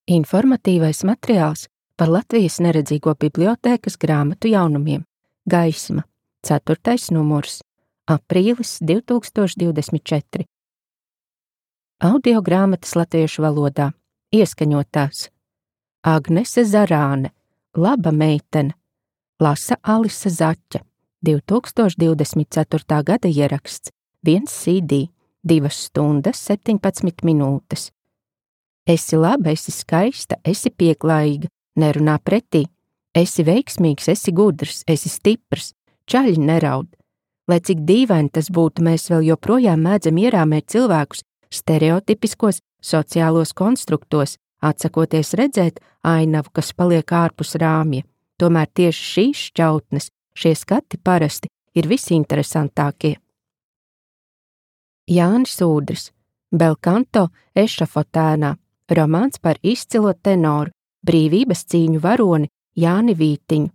Informatīvais materiāls par Latvijas neredzīgo bibliotēkas grāmatu jaunumiem. Gaisma, 4. numurs, aprīlis 2024. Audio grāmatas latviešu valodā, ieskaņotās. Agnese Zarāne, laba meitene, lasa Alise Zaķe, 2024. gada ieraksts, 1 CD, 2 stundas 17 minūtes. Esi laba, esi skaista, esi pieklājīga, nerunā pretī, esi veiksmīgs, esi gudrs, esi stiprs, čaļi neraud. Lai cik dīvaini tas būtu, mēs vēl joprojām mēdzam ierāmēt cilvēkus stereotipiskos sociālos konstruktos, atsakoties redzēt ainavu, kas paliek ārpus rāmja. Tomēr tieši šīs šķautnes, šie skati parasti ir visinteresantākie. Jānis Ūdris, Belkanto ešafotēnā, romāns par izcilo tenoru, brīvības cīņu varoni Jāni Vītiņu,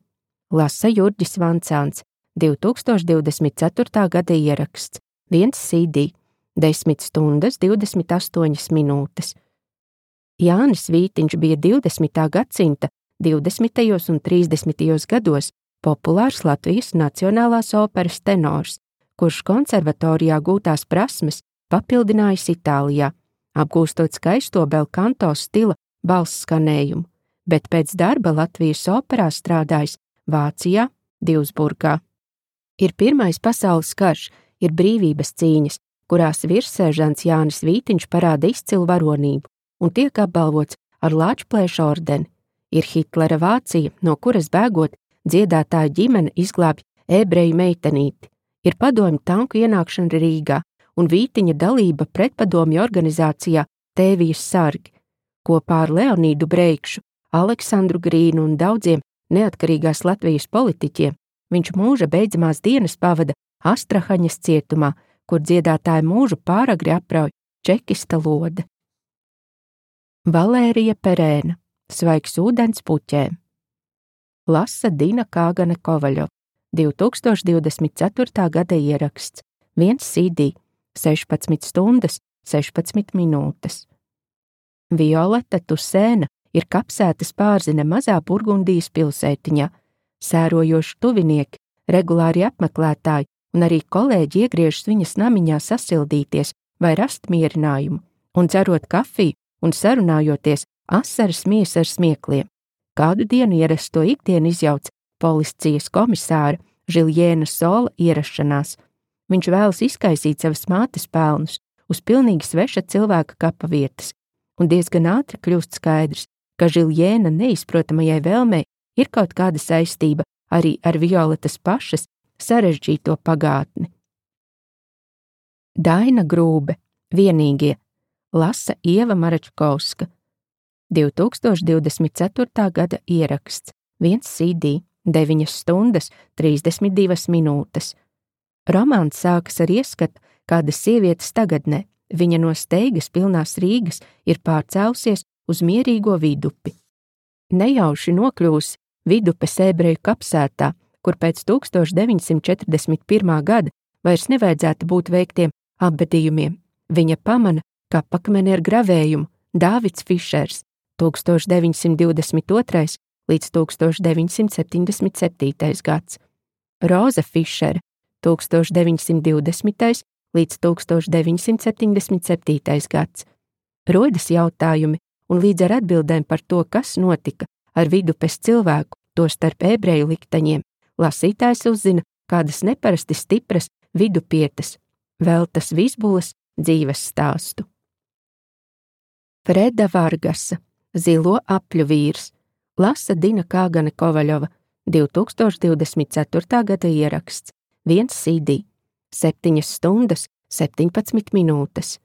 lasa Jurģis Vancāns, 2024. gada ieraksts, 1 CD, 10 stundas 28 minūtes. Jānis Vītiņš bija 20. gadsimta 20. un 30. gados populārs Latvijas Nacionālās operas tenors, kurš konservatorijā gūtās prasmes papildinājis Itālijā, apgūstot skaisto belkanto stila balss skanējumu, bet pēc darba Latvijas operā strādājis Vācijā, Divsburgā. Ir Pirmais pasaules karš, ir brīvības cīņas, kurās virsseržants Jānis Vītiņš parāda izcilu varonību un tiek apbalvots ar Lāčplēša ordeni. Ir Hitlera Vācija, no kuras bēgot dziedātāja ģimene izglābj ebreju meitenīti. Ir padomju tanku ienākšana Rīgā un Vītiņa dalība pretpadomju organizācijā Tēvijas sargi. Kopā ar Leonīdu Breikšu, Aleksandru Grīnu un daudziem neatkarīgās Latvijas politiķiem viņš mūža beidzamās dienas pavada Astrahaņas cietumā, kur dziedātāja mūžu pāragri aprauj čekista lode. Valērija Perēna, svaigs ūdens puķēm, lasa Dina Kāgane Kovaļova, 2024. gada ieraksts, 1 CD, 16 stundas 16 minūtes. Violeta Tusēna ir kapsētas pārzine mazā Burgundijas pilsētiņā, sērojoši tuvinieki, regulāri apmeklētāji un arī kolēģi iegriežas viņas namiņā sasildīties vai rast mierinājumu, un dzerot kafiju un sarunājoties asaras mies ar smiekliem. Kādu dienu ierasto ikdienu izjauc policijas komisāra Žiljēna Sola ierašanās. Viņš vēlas izkaisīt savas mātes pelnus uz pilnīgi sveša cilvēka kapa vietas, un diezgan ātri kļūst skaidrs, ka Žiljēna neizprotamajai vēlmei ir kaut kāda saistība arī ar Violetas pašas sarežģīto pagātni. Daina Grūbe, vienīgie, lasa Ieva Maračkovska, 2024. gada ieraksts, 1 CD, 9 stundas 32 minūtes. Romāns sākas ar ieskatu kādas sievietes tagadnē. Viņa no steigas pilnās Rīgas ir pārcēlusies uz mierīgo Vidupi. Nejauši nokļūsi Vidupes ebreju kapsētā, kur pēc 1941. gada vairs nevajadzētu būt veiktiem apbedījumiem. Viņa pamana kapakmeni ar gravējumu Dāvids Fišers, 1922. līdz 1977. gads, Roza Fišera, 1920. līdz 1977. gads. Rodas jautājumi, un līdz ar atbildēm par to, kas notika ar Vidupes cilvēku, tostarp ebreju likteņiem, lasītājs uzzina kādas neparasti stipras vidupietes, Veltas Vizbulas dzīves stāstu. Freda Vargasa, Zilo apļu vīrs, lasa Dina Kāgane Kovaļova, 2024. gada ieraksts, 1 CD, 7 stundas 17 minūtes.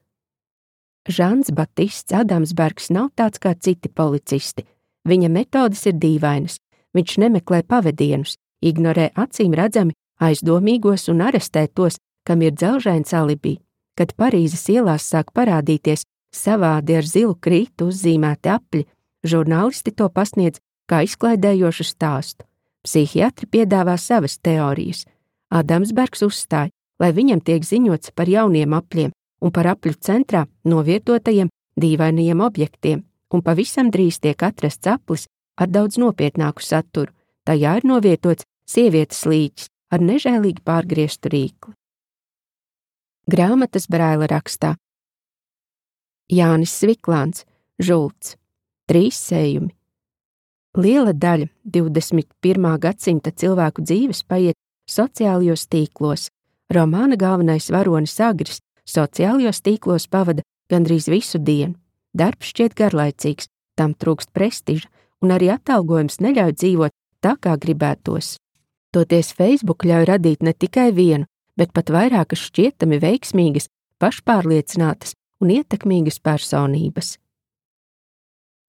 Žans Batists Adamsbergs nav tāds kā citi policisti. Viņa metodes ir dīvainas. Viņš nemeklē pavedienus, ignorē acīm redzami aizdomīgos un arestē tos, kam ir dzelžains alibi. Kad Parīzes ielās sāk parādīties savādi ar zilu krītu uzzīmēti apļi, žurnālisti to pasniedz kā izklaidējošu stāstu. Psihiatri piedāvā savas teorijas. Adamsbergs uzstāja, lai viņam tiek ziņots par jauniem apļiem un par apļu centrā novietotajiem dīvainajiem objektiem, un pavisam drīz tiek atrasts aplis ar daudz nopietnāku saturu. Tajā ir novietots sievietes līķis ar nežēlīgi pārgrieztu rīkli. Grāmatas Braila rakstā. Jānis Sviklāns, Žults. 3 sējumi. Liela daļa 21. gadsimta cilvēku dzīves paiet sociālajos tīklos. Romāna galvenais varonis Agris sociālajos tīklos pavada gandrīz visu dienu. Darbs šķiet garlaicīgs, tam trūkst prestiža, un arī atalgojums neļauj dzīvot tā, kā gribētos. Toties Facebook ļauj radīt ne tikai vienu, bet pat vairākas šķietami veiksmīgas, pašpārliecinātas un ietekmīgas personības.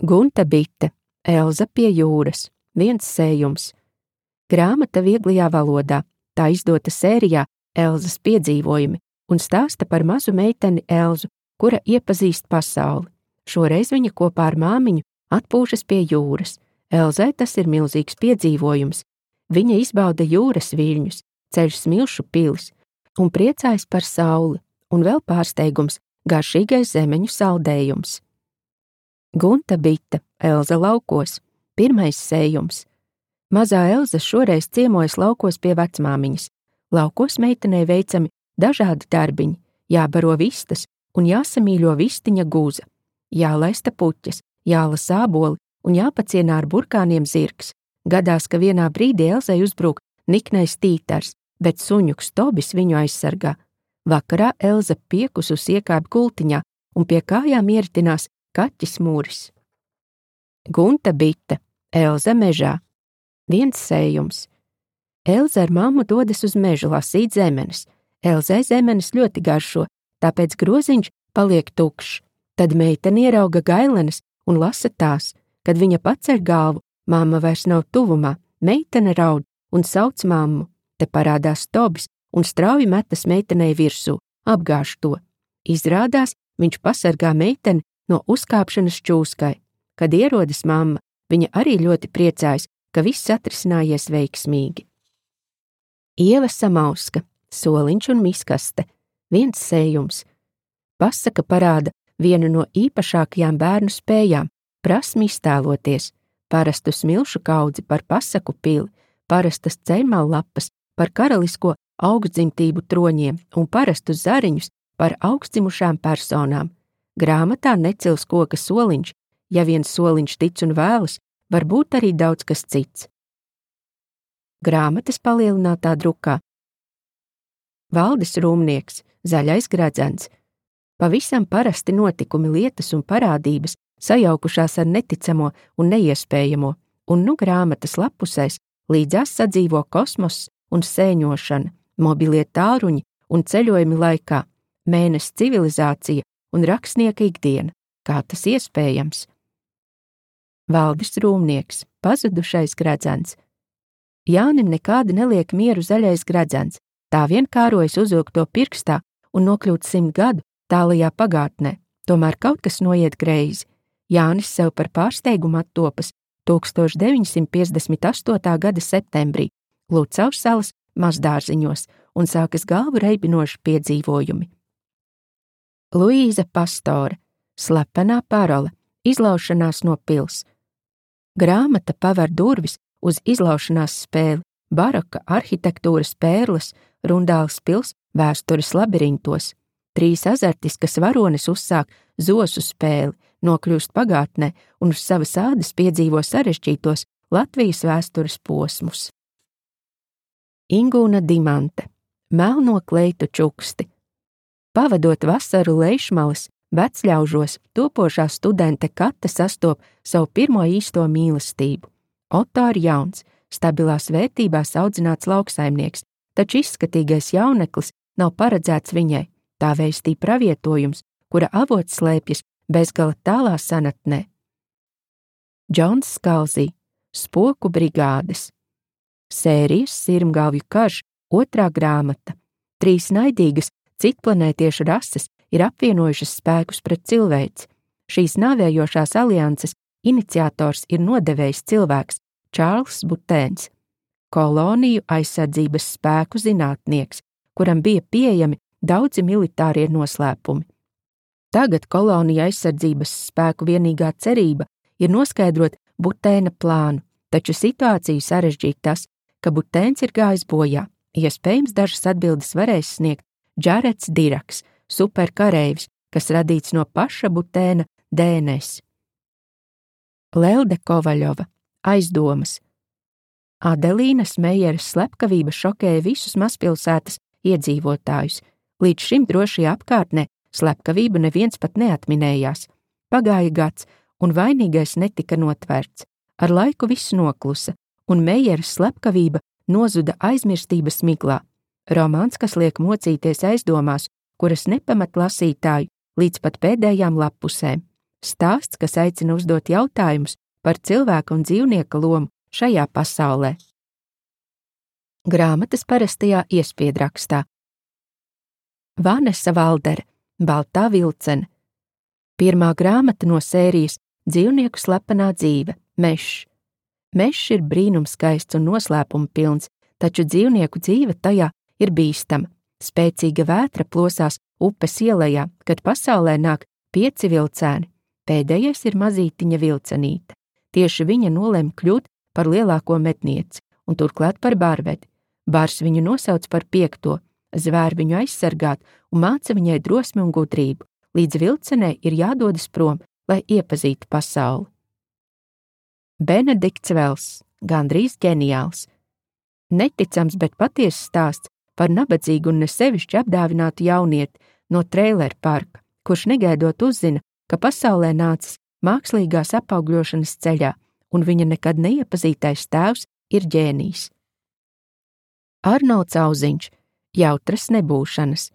Gunta Bite, Elza pie jūras, 1 sējums. Grāmata vieglajā valodā, tā izdota sērijā Elzas piedzīvojumi un stāsta par mazu meiteni Elzu, kura iepazīst pasauli. Šoreiz viņa kopā ar māmiņu atpūšas pie jūras. Elzai tas ir milzīgs piedzīvojums. Viņa izbauda jūras viļņus, ceļ smilšu pilis un priecājas par sauli, un vēl pārsteigums – garšīgais zemeņu saldējums. Gunta Bite, Elza laukos, 1. sējums. Mazā Elza šoreiz ciemojas laukos pie vecmāmiņas. Laukos meitenei veicami dažādi darbiņi, jābaro vistas un jāsamīļo vistiņa guza, jālaista puķes, jālasa āboli un jāpacienā ar burkāniem zirgs. Gadās, ka vienā brīdī Elzai uzbrūk niknais tītars, bet suņuks Tobis viņu aizsargā. Vakarā Elza piekusus iekāp gultiņā un pie kājām ieritinās kaķis Mūris. Gunta Bite, Elza mežā, 1 sējums. Elza ar mammu dodas uz mežu lasīt zemenes. Elzai zemenes ļoti garšo, tāpēc groziņš paliek tukšs. Tad meitene ierauga gailenes un lasa tās. Kad viņa paceļ galvu, mamma vairs nav tuvumā, meitene raud un sauc mammu. Te parādās Tobis un strauji metas meitenei virsū, apgāž to. Izrādās, viņš pasargā meiteni no uzkāpšanas čūskai. Kad ierodas mamma, viņa arī ļoti priecājas, ka viss atrisinājies veiksmīgi. Ieva Samauska, Soliņš un miskaste, 1 sējums. Pasaka parāda vienu no īpašākajām bērnu spējām – prasmi iztēloties, parastu smilšu kaudzi par pasaku pili, parastas ceļmallapas par karalisko augstdzimtību troņiem un parastus zariņus par augstdzimušām personām. Grāmatā necils koka soliņš, ja viens soliņš tic un vēlas, var būt arī daudz kas cits. Grāmatas palielinātā drukā. Valdis Rūmnieks, Zaļais gredzens. Pavisam parasti notikumi, lietas un parādības sajaukušās ar neticamo un neiespējamo, un nu grāmatas lapusēs līdzās sadzīvo kosmoss un sēņošana, mobilie tālruņi un ceļojumi laikā, mēness civilizācija un rakstnieka ikdiena. Kā tas iespējams? Valdis Rūmnieks, Pazudušais gredzens. Jānim nekādi neliek mieru Zaļais gredzens, tā vien kārojas uzvilkt to pirkstā un nokļūt 100 gadu tālajā pagātnē, tomēr kaut kas noiet greizi. Jānis sev par pārsteigumu attopas 1958. gada septembrī Lucavas salas mazdārziņos un sākas galvu reibinoši piedzīvojumi. Luīza Pastore, Slepenā parole, izlaušanās no pils. Grāmata paver durvis uz izlaušanās spēli, baroka arhitektūras pērles, Rundāles pils vēstures labirintos. 3 azartiskas varones uzsāk zosu spēli, nokļūst pagātnē un uz savas ādas piedzīvo sarežģītos Latvijas vēstures posmus. Ingūna Dimante, Melno kleitu čuksti. Pavadot vasaru Leišmalas, vecļaužos, topošā studente Kata sastop savu pirmo īsto mīlestību. Oto ir jauns, stabilās vērtībās audzināts lauksaimnieks, taču izskatīgais jauneklis nav paredzēts viņai, tā vēstī pravietojums, kura avots slēpjas bezgala tālā senatnē. Džons Skalzī, Spoku brigādes. Sērijas Sirmgalvju karš, 2. grāmata. 3 naidīgas citplanētiešu rases ir apvienojušas spēkus pret cilvēci. Šīs nāvējošās alianses iniciators ir nodevējs cilvēks Čārls Butēns, koloniju aizsardzības spēku zinātnieks, kuram bija pieejami daudzi militārie noslēpumi. Tagad kolonija aizsardzības spēku vienīgā cerība ir noskaidrot Butēna plānu, taču situāciju sarežģīja tas, ka Butēns ir gājis bojā. Iespējams, dažas atbildes varēs sniegt Džarets Diraks, superkareivis, kas radīts no paša Butēna DNS. Lelde Kovaļova, aizdomas. Adelīnas Mejeras slepkavība šokēja visus mazpilsētas iedzīvotājus. Līdz šim drošajā apkārtnē slepkavību neviens pat neatminējās. Pagāja gads, un vainīgais netika notverts. Ar laiku viss noklusa, un Mejeras slepkavība nozuda aizmirstības miglā. Romāns, kas liek mocīties aizdomās, kuras nepamat lasītāju līdz pat pēdējām lappusēm. Stāsts, kas aicina uzdot jautājumus par cilvēka un dzīvnieka lomu šajā pasaulē. Grāmatas parastajā iespiedrakstā. Vanesa Valdere, Baltā vilcene. Pirmā grāmata no sērijas Dzīvnieku slepenā dzīve, Mešs. Mešs ir brīnumskaists un noslēpuma pilns, taču dzīvnieku dzīve tajā ir bīstama. Spēcīga vētra plosās upes ielejā, kad pasaulē nāk 5 vilcēni. Pēdējais ir mazītiņa vilcenīte. Tieši viņa nolem kļūt par lielāko mednieci un turklāt par bārvedi. Bārs viņu nosauc par 5. Zvēr viņu aizsargāt un māca viņai drosmi un gudrību. Līdz vilcenei ir jādodas prom, lai iepazītu pasauli. Benedikts Vels, gandrīz ģeniāls. Neticams, bet patiess stāsts par nabadzīgu un nesevišķi apdāvinātu jaunieti no Trailer parka, kurš negaidot uzzina, ka pasaulē nācis mākslīgās apaugļošanas ceļā, un viņa nekad neiepazītais tēvs ir ģēnijs. Arnolds Auziņš, jautras nebūšanas.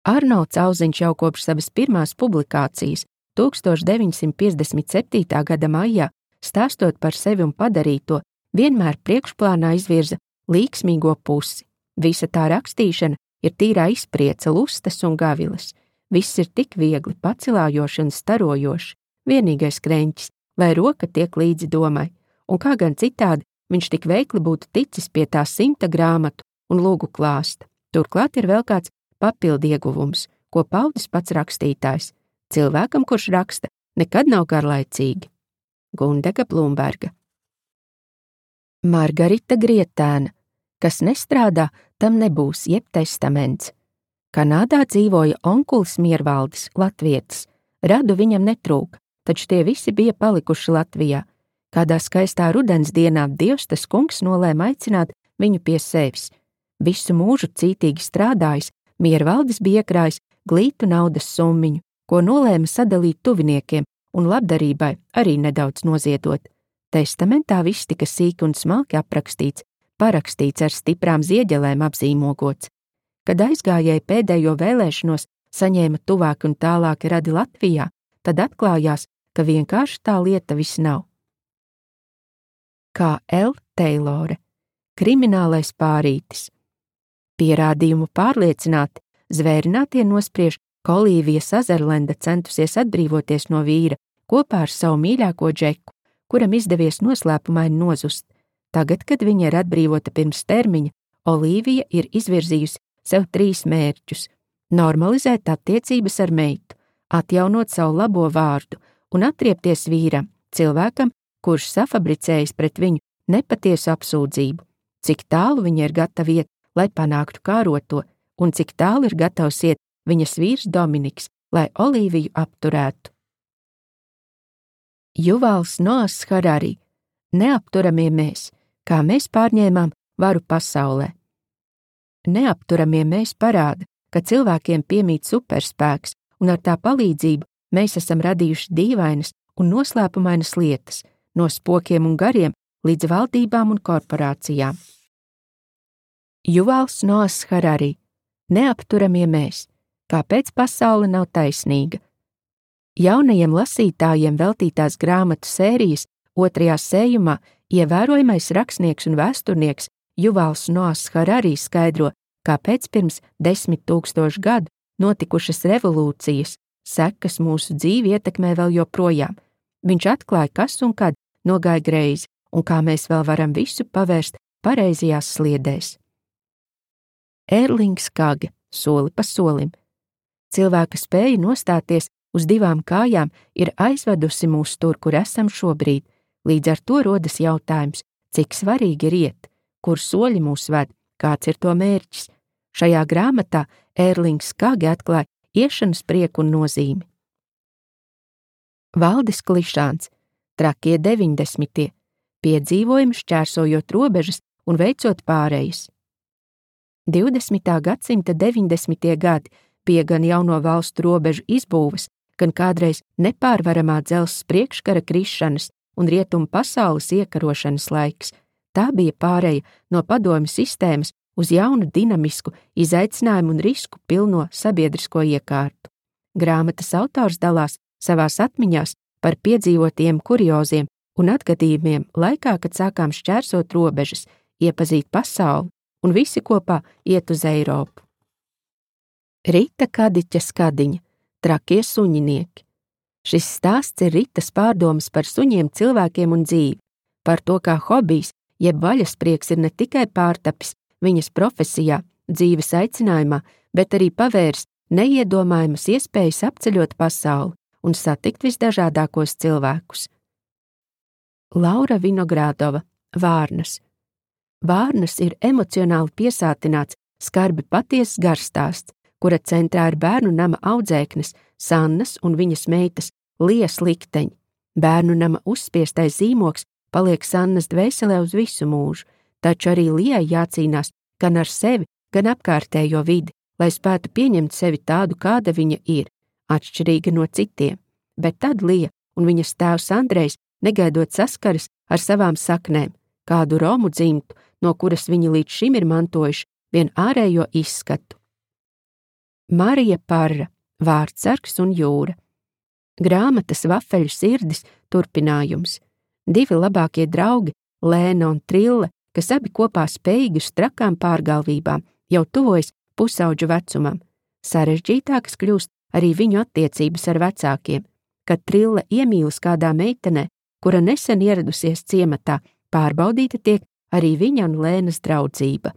Arnolds Auziņš jau kopš savas pirmās publikācijas 1957. gada maijā, stāstot par sevi un padarīto, vienmēr priekšplānā izvirza līksmīgo pusi. Visa tā rakstīšana ir tīrā izpriece, lustas un gaviles. Viss ir tik viegli, pacilājoši un starojoši, vienīgais kreņķis, lai roka tiek līdzi domai, un kā gan citādi viņš tik veikli būtu ticis pie tā 100 grāmatu un lūgu klāsta. Turklāt ir vēl kāds papildu ieguvums, ko paudis pats rakstītājs. Cilvēkam, kurš raksta, nekad nav garlaicīgi. Gundega Blumberga. Margarita Grietēna. Kas nestrādā, tam nebūs jeb testaments. Kanādā dzīvoja onkulis Miervaldis, latvietis. Radu viņam netrūka, taču tie visi bija palikuši Latvijā. Kādā skaistā rudens dienā Dievs tas kungs nolēma aicināt viņu pie sevis. Visu mūžu cītīgi strādājis, Miervaldis bija iekrājis glītu naudas summiņu, ko nolēma sadalīt tuviniekiem un labdarībai arī nedaudz noziedot. Testamentā viss tika sīki un smalki aprakstīts, parakstīts ar stiprām zieģelēm apzīmogots. Kad aizgājēji pēdējo vēlēšanos saņēma tuvāki un tālāki radi Latvijā, tad atklājās, ka vienkārši tā lieta viss nav. Kā L. Teilore, kriminālais pārītis. Pierādījumu pārliecināti, zvērinātie nospriež, ka Olīvija Sazerlenda centusies atbrīvoties no vīra kopā ar savu mīļāko Džeku, kuram izdevies noslēpumaini nozust. Tagad, kad viņa ir atbrīvota pirms termiņa, Olīvija ir izvirzījusi sev 3 mērķus – normalizēt attiecības ar meitu, atjaunot savu labo vārdu un atriepties vīram, cilvēkam, kurš safabricējis pret viņu nepatiesu apsūdzību, cik tālu viņa ir gatava iet, lai panāktu kāroto, un cik tālu ir gatavs iet viņas vīrs Dominiks, lai Olīviju apturētu. Juvals Noahs Harari, Neapturamie mēs, kā mēs pārņēmām varu pasaulē. Neapturamie mēs parāda, ka cilvēkiem piemīt superspēks, un ar tā palīdzību mēs esam radījuši dīvainas un noslēpumainas lietas, no spokiem un gariem līdz valdībām un korporācijām. Juvals Noahs Harari, Neapturamie mēs, kāpēc pasaule nav taisnīga. Jaunajiem lasītājiem veltītās grāmatu sērijas 2. sējumā ievērojamais rakstnieks un vēsturnieks Juvals Noahs Harari skaidro, kāpēc pirms 10 000 gadu notikušas revolūcijas sekas mūsu dzīvi ietekmē vēl joprojām. Viņš atklāja, kas un kad nogāja greizi, un kā mēs vēl varam visu pavērst pareizajās sliedēs. Erlings Kage, Soli pa solim. Cilvēka spēja nostāties uz divām kājām ir aizvedusi mūs tur, kur esam šobrīd. Līdz ar to rodas jautājums, cik svarīgi ir iet, kur soļi mūs ved, kāds ir to mērķis. Šajā grāmatā Ērlings Skage atklāja iešanas prieku un nozīmi. Valdis Klišāns, trakie 90. piedzīvojumi šķērsojot robežas un veicot pārejas. 20. gadsimta 90. gadi bija gan jauno valstu robežu izbūves, gan kādreiz nepārvaramā dzelzs priekškara krišanas un rietumu pasaules iekarošanas laiks. Tā bija pāreja no padomju sistēmas uz jaunu dinamisku, izaicinājumu un risku pilno sabiedrisko iekārtu. Grāmatas autors dalās savās atmiņās par piedzīvotiem kurioziem un atgadījumiem laikā, kad sākām šķērsot robežas, iepazīt pasauli un visi kopā iet uz Eiropu. Rita Kadiķa Skadiņa, trakie suņinieki. Šis stāsts ir Ritas pārdomas par suņiem, cilvēkiem un dzīvi, par to, kā hobijs, jeb vaļasprieks ir ne tikai pārtapis viņas profesijā, dzīves aicinājumā, bet arī pavērs neiedomājamas iespējas apceļot pasauli un satikt visdažādākos cilvēkus. Laura Vinogrādova, Vārnas. Vārnas ir emocionāli piesātināts, skarbi patiesas garstāsts, kura centrā ir bērnu nama audzēknes, Sannas un viņas meitas Lijas likteņi. Bērnu nama uzspiestais zīmoks paliek Sannas dvēselē uz visu mūžu, taču arī Lijai jācīnās gan ar sevi, gan apkārtējo vidi, lai spētu pieņemt sevi tādu, kāda viņa ir, atšķirīga no citiem. Bet tad Lija un viņas tēvs Andrejs negaidot saskaras ar savām saknēm, kādu romu dzimtu, no kuras viņi līdz šim ir mantojuši vien ārējo izskatu. Marija Parra, Vārdsargs un jūra. Grāmatas Vafeļu sirdis turpinājums. Divi labākie draugi, Lēna un Trille, kas abi kopā spējīgi uz trakām pārgalvībām, jau tuvojas pusauģu vecumam. Sarežģītākas kļūst arī viņu attiecības ar vecākiem. Kad Trille iemīlas kādā meitenē, kura nesen ieradusies ciematā, pārbaudīta tiek arī viņa un Lēnas draudzība.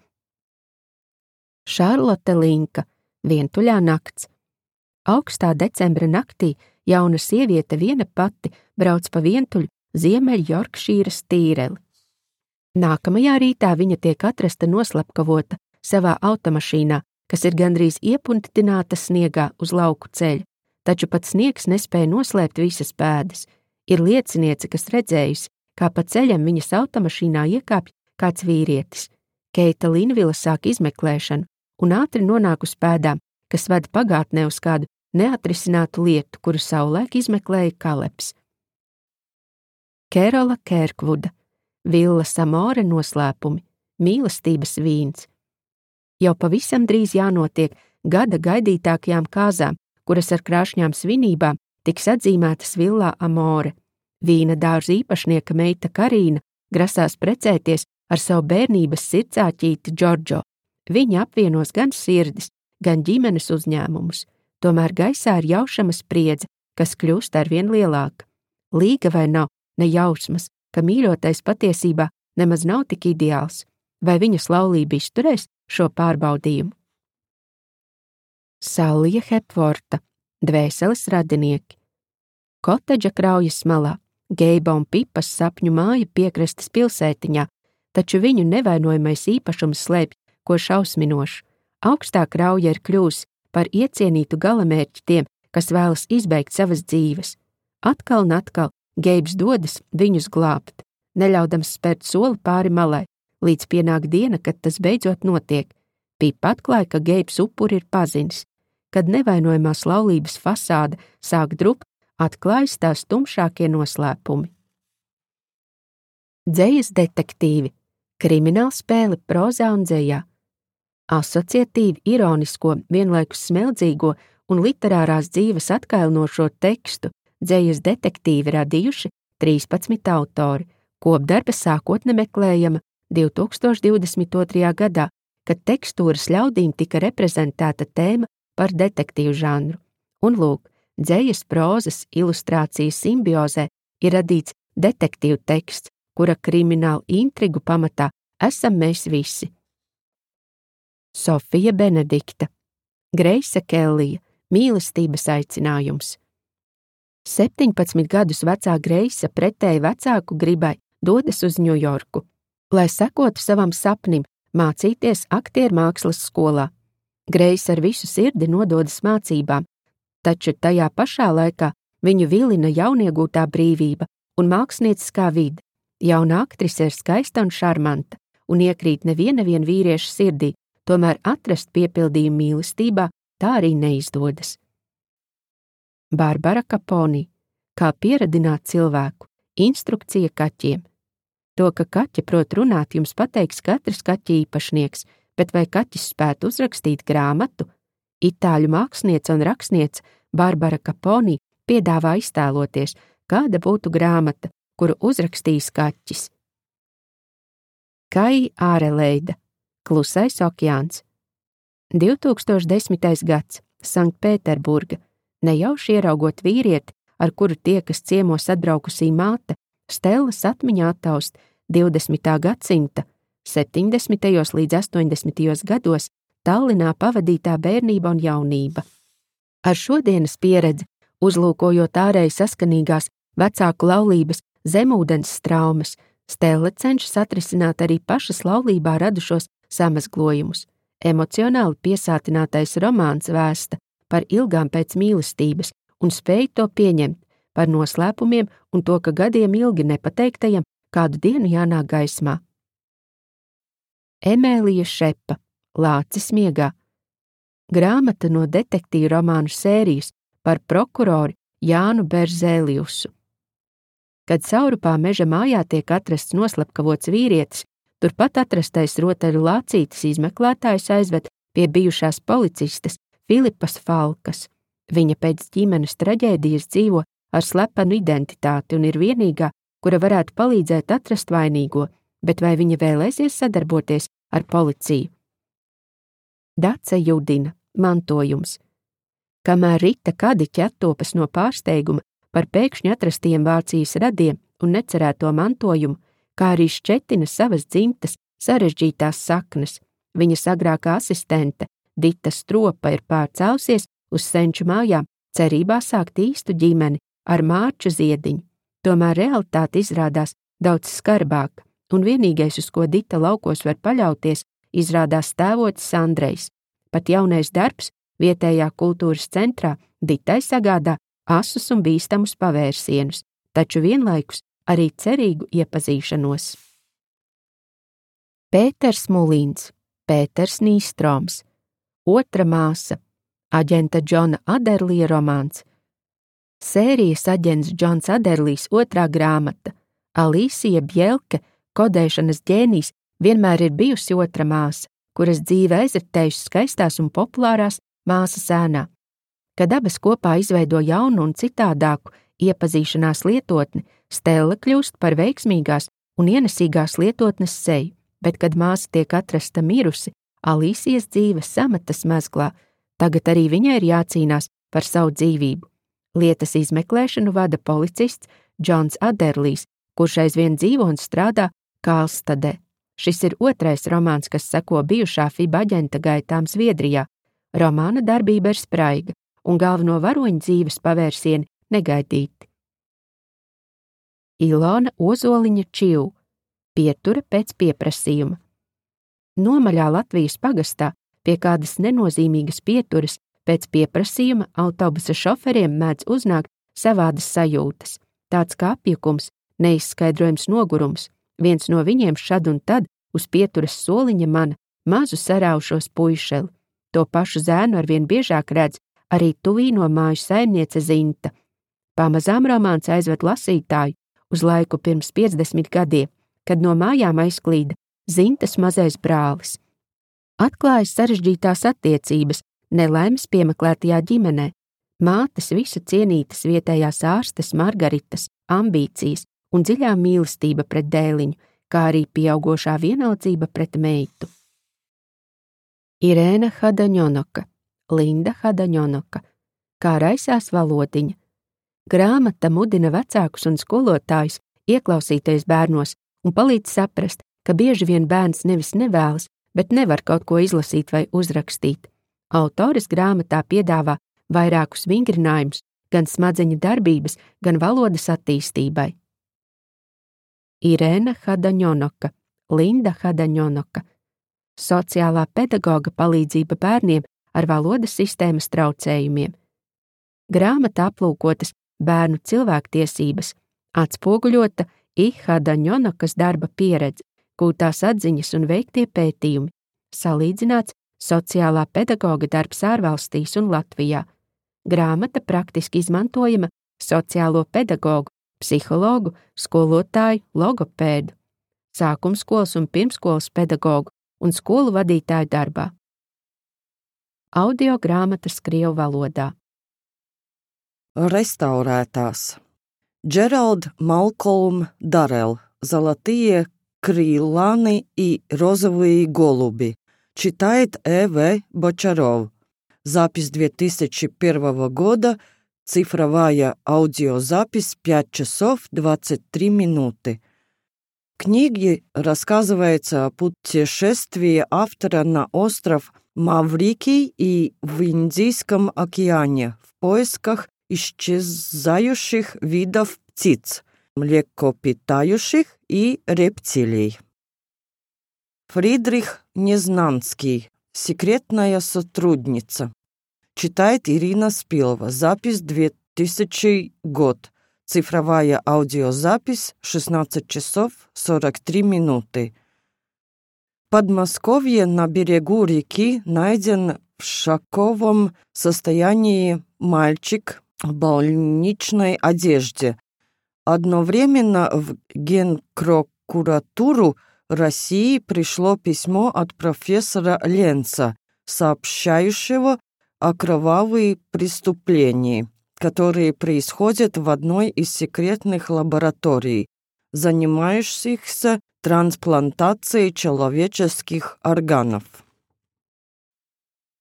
Šarlote Linka, Vientuļā nakts. Augstā decembra naktī jauna sieviete viena pati brauc pa vientuļu Ziemeļjorkšīras tīreli. Nākamajā rītā viņa tiek atrasta noslapkavota savā automašīnā, kas ir gandrīz iepuntināta sniegā uz lauku ceļa, taču pat sniegs nespēja noslēpt visas pēdas. Ir lieciniece, kas redzējusi, kā pa ceļam viņas automašīnā iekāpj kāds vīrietis. Keita Linvila sāk izmeklēšanu un ātri nonāk uz pēdām, kas ved pagātnē uz kādu neatrisinātu lietu, kuru savulaik izmeklēja Kalebs. Kerola Kērkvuda, Villas Amore noslēpumi, mīlestības vīns. Jau pavisam drīz jānotiek gada gaidītākajām kāzām, kuras ar krāšņām svinībām tiks atzīmētas Villā Amore. Vīna dārza īpašnieka meita Karīna grasās precēties ar savu bērnības sirdsāķīti Džordžo. Viņa apvienos gan sirdis, gan ģimenes uzņēmumus, tomēr gaisā ir jaušama spriedze, kas kļūst arvien lielāka. Līga vai nav, ne jausmas, ka mīļotais patiesībā nemaz nav tik ideāls, vai viņas laulība izturēs šo pārbaudījumu. Sallija Hepvorta, Dvēseles radinieki. Kotedža kraujas malā, Geiba un Pipas sapņu māja piekrastes pilsētiņā, taču viņu nevainojamais īpašums slēpj ko šausminošu. Augstā krauja ir kļūsi par iecienītu galamērķi tiem, kas vēlas izbeigt savas dzīves. Atkal un atkal Geibs dodas viņus glābt, neļaudams spērt soli pāri malai, līdz pienāk diena, kad tas beidzot notiek. Pipa atklāja, ka Geibs upuri ir pazinis. Kad nevainojamās laulības fasāde sāk drupt, atklājas tās tumšākie noslēpumi. Dzejas detektīvi, kriminālspēle prozā un dzejā. Asociatīvi, ironisko, vienlaikus smeldzīgo un literārās dzīves atkailinošo tekstu dzejas detektīvi radījuši 13 autori. Kopdarba sākotne meklējama 2022. gadā, kad tekstūras ļaudīm tika reprezentēta tēma par detektīvu žanru. Un lūk, dzejas prozas ilustrācijas simbiozē ir radīts detektīvu teksts, kura kriminālu intrigu pamatā esam mēs visi. Sofija Benedikta, Greisa Kellija, Mīlestības aicinājums. 17 gadus vecā Greisa pretēji vecāku gribai dodas uz Ņujorku, lai sekotu savam sapnim mācīties aktiermākslas skolā. Greisa ar visu sirdi nododas mācībām, taču tajā pašā laikā viņu vilina jauniegūtā brīvība un mākslinieckā vide. Jauna aktrise ir skaista un šarmanta un iekrīt neviena vīrieša sirdī, tomēr atrast piepildījumu mīlestībā tā arī neizdodas. Barbara Kaponi. Kā pieradināt cilvēku. Instrukcija kaķiem. To, ka kaķi prot runāt, jums pateiks katrs kaķa īpašnieks, bet vai kaķis spētu uzrakstīt grāmatu? Itāļu māksliniece un rakstniece Barbara Kaponi piedāvā iztēloties, kāda būtu grāmata, kuru uzrakstīs kaķis. Kai Āreleida. Klusais okeāns. 2010. gads. Sanktpēterburga. Nejauši ieraugot vīrieti, ar kuru tiekas ciemos atbraukusī māte, Stellas atmiņā attaust 20. gadsimta 70. līdz 80. gados Tallinā pavadītā bērnība un jaunība. Ar šodienas pieredzi, uzlūkojot ārēji saskanīgās vecāku laulības zemūdens straumes, Stella cenšas atrisināt arī pašas laulībā radušos samazglojumus. Emocionāli piesātinātais romāns vēsta par ilgām pēc mīlestības un spēj to pieņemt, par noslēpumiem un to, ka gadiem ilgi nepateiktajam kādu dienu jānāk gaismā. Emēlija Šepa. Lācis miegā. Grāmata no detektīvu romānu sērijas par prokurori Jānu Berzēliusu. Kad Saurupā meža mājā tiek atrasts noslapkavots vīrietis, turpat atrastais rotaļu lācītis izmeklētājs aizved pie bijušās policistes Filipas Falkas. Viņa pēc ģimenes traģēdijas dzīvo ar slepenu identitāti un ir vienīgā, kura varētu palīdzēt atrast vainīgo, bet vai viņa vēlēsies sadarboties ar policiju? Dace Judina. Mantojums. Kamēr Rita Kadiķe attopas no pārsteiguma par pēkšņi atrastiem Vācijas radiem un necerēto mantojumu, kā arī šķetina savas dzimtas sarežģītās saknes, viņas agrākā asistente Dita Stropa ir pārcēlusies uz senču mājām, cerībā sākt īstu ģimeni ar Mārču Ziediņu. Tomēr realitāte izrādās daudz skarbāka, un vienīgais, uz ko Dita laukos var paļauties, izrādās tēvocis Andrejs. Pat jaunais darbs vietējā kultūras centrā Ditai sagādā asus un bīstamus pavērsienus, taču vienlaikus arī cerīgu iepazīšanos. Pēters Mulīns. Pēters Nīstroms. Otra māsa. Aģenta Džona Aderlija romāns. Sērijas aģents Džons Aderlijs otrā grāmata. Alīsija Bjelke, kodēšanas ģēnijs, vienmēr ir bijusi otra māsa, kuras dzīve aizritējusi skaistās un populārās māsas ēnā. Kad abas kopā izveido jaunu un citādāku iepazīšanās lietotni, Stella kļūst par veiksmīgās un ienesīgās lietotnes seju, bet kad māsa tiek atrasta mirusi, Alīsijas dzīve sametas mezglā, tagad arī viņai ir jācīnās par savu dzīvību. Lietas izmeklēšanu vada policists Džons Aderlijs, kurš aizvien dzīvo un strādā Kālstadē. Šis ir otrais romāns, kas seko bijušā FIB aģenta gaitām Zviedrijā. Romāna darbība ir spraiga, un galveno varoņu dzīves pavērsieni negaidīti. Ilona Ozoliņa Čiu. Pietura pēc pieprasījuma. Nomaļā Latvijas pagastā pie kādas nenozīmīgas pieturas pēc pieprasījuma autobusa šoferiem mēdz uznākt savādas sajūtas, tāds kā apjukums, neizskaidrojams nogurums. Viens no viņiem šad un tad uz pieturas soliņa mana mazu saraušos puišeli. To pašu zēnu arvien biežāk redz arī tuvīno māju saimniece Zinta. Pamazām romāns aizved lasītāju uz laiku pirms 50 gadiem, kad no mājām aizklīda Zintas mazais brālis. Atklājas sarežģītās attiecības nelaimes piemeklētajā ģimenē, mātes visu cienītas vietējās ārstes Margaritas ambīcijas un dziļā mīlestība pret dēliņu, kā arī pieaugošā vienaldzība pret meitu. Irēna Hadaņonoka. Linda Hadaņonoka. Kā raisās valodiņa. Grāmata mudina vecākus un skolotājus ieklausīties bērnos un palīdz saprast, ka bieži vien bērns nevis nevēlas, bet nevar kaut ko izlasīt vai uzrakstīt. Autores grāmatā piedāvā vairākus vingrinājumus gan smadzeņu darbības, gan valodas attīstībai. Irēna Hadaņonoka, Linda Hadaņonoka. Sociālā pedagoga palīdzība bērniem ar valodas sistēmas traucējumiem. Grāmata aplūkotas bērnu cilvēktiesības, atspoguļota Hadaņonokas darba pieredze, gūtās atziņas un veiktie pētījumi, salīdzināts sociālā pedagoga darbs ārvalstīs un Latvijā. Grāmata praktiski izmantojama sociālo pedagogu, psihologu, skolotāju, logopēdu, sākumskolas un pirmskolas pedagogu un skolu vadītāju darbā. Audio grāmatas krievu valodā. Restaurētās. Джеральд Малкольм Даррелл. Золотые крыланы и розовые голуби. Читает Э.В. Бочаров. Запись 2001 года. Цифровая аудиозапись 5 часов 23 минуты. В книге рассказывается о путешествии автора на остров Маврикий и в Индийском океане в поисках исчезающих видов птиц, млекопитающих и рептилий. Фридрих Незнанский. Секретная сотрудница. Читает Ирина Спилова. Запись 2000 год. Цифровая аудиозапись 16 часов 43 минуты. В Подмосковье на берегу реки найден в шоковом состоянии мальчик в больничной одежде. Одновременно в Генпрокуратуру России пришло письмо от профессора Ленца, сообщающего о кровавых преступлениях, которые происходят в одной из секретных лабораторий, занимающихся трансплантацией человеческих органов.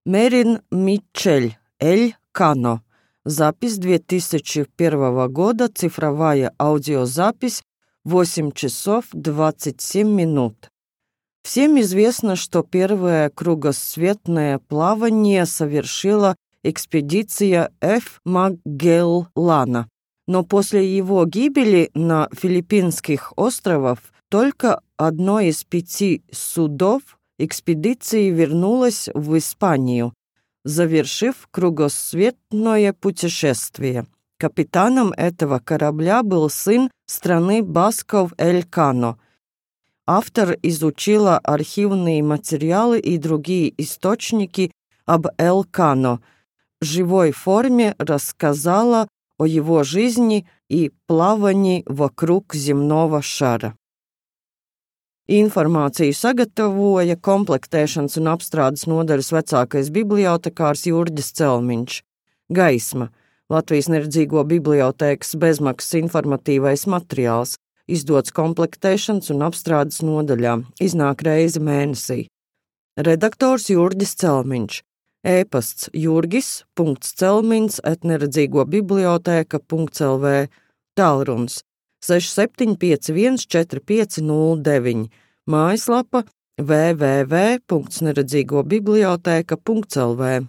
Мерин Митчель, Эль Кано. Запись 2001 года, цифровая аудиозапись 8 часов 27 минут. Всем известно, что первое кругосветное плавание совершила экспедиция Ф. Магеллана, но после его гибели на Филиппинских островах только одно из 5 судов экспедиции вернулось в Испанию, завершив кругосветное путешествие. Капитаном этого корабля был сын страны басков Эль Кано. Автор изучила архивные материалы и другие источники об Эль Кано, в живой форме рассказала о его жизни и плавании вокруг земного шара. Informāciju sagatavoja komplektēšanas un apstrādes nodaļas vecākais bibliotekārs Jurģis Celmiņš. Gaisma – Latvijas neredzīgo bibliotēkas bezmaksas informatīvais materiāls, izdots komplektēšanas un apstrādes nodaļā, iznāk reizi mēnesī. Redaktors Jurģis Celmiņš. E-pasts jurgis.celmins@neredzīgobibliotēka.lv. Tālrunis 6751 4509. Mājaslapa www.neredzīgobibliotēka.lv.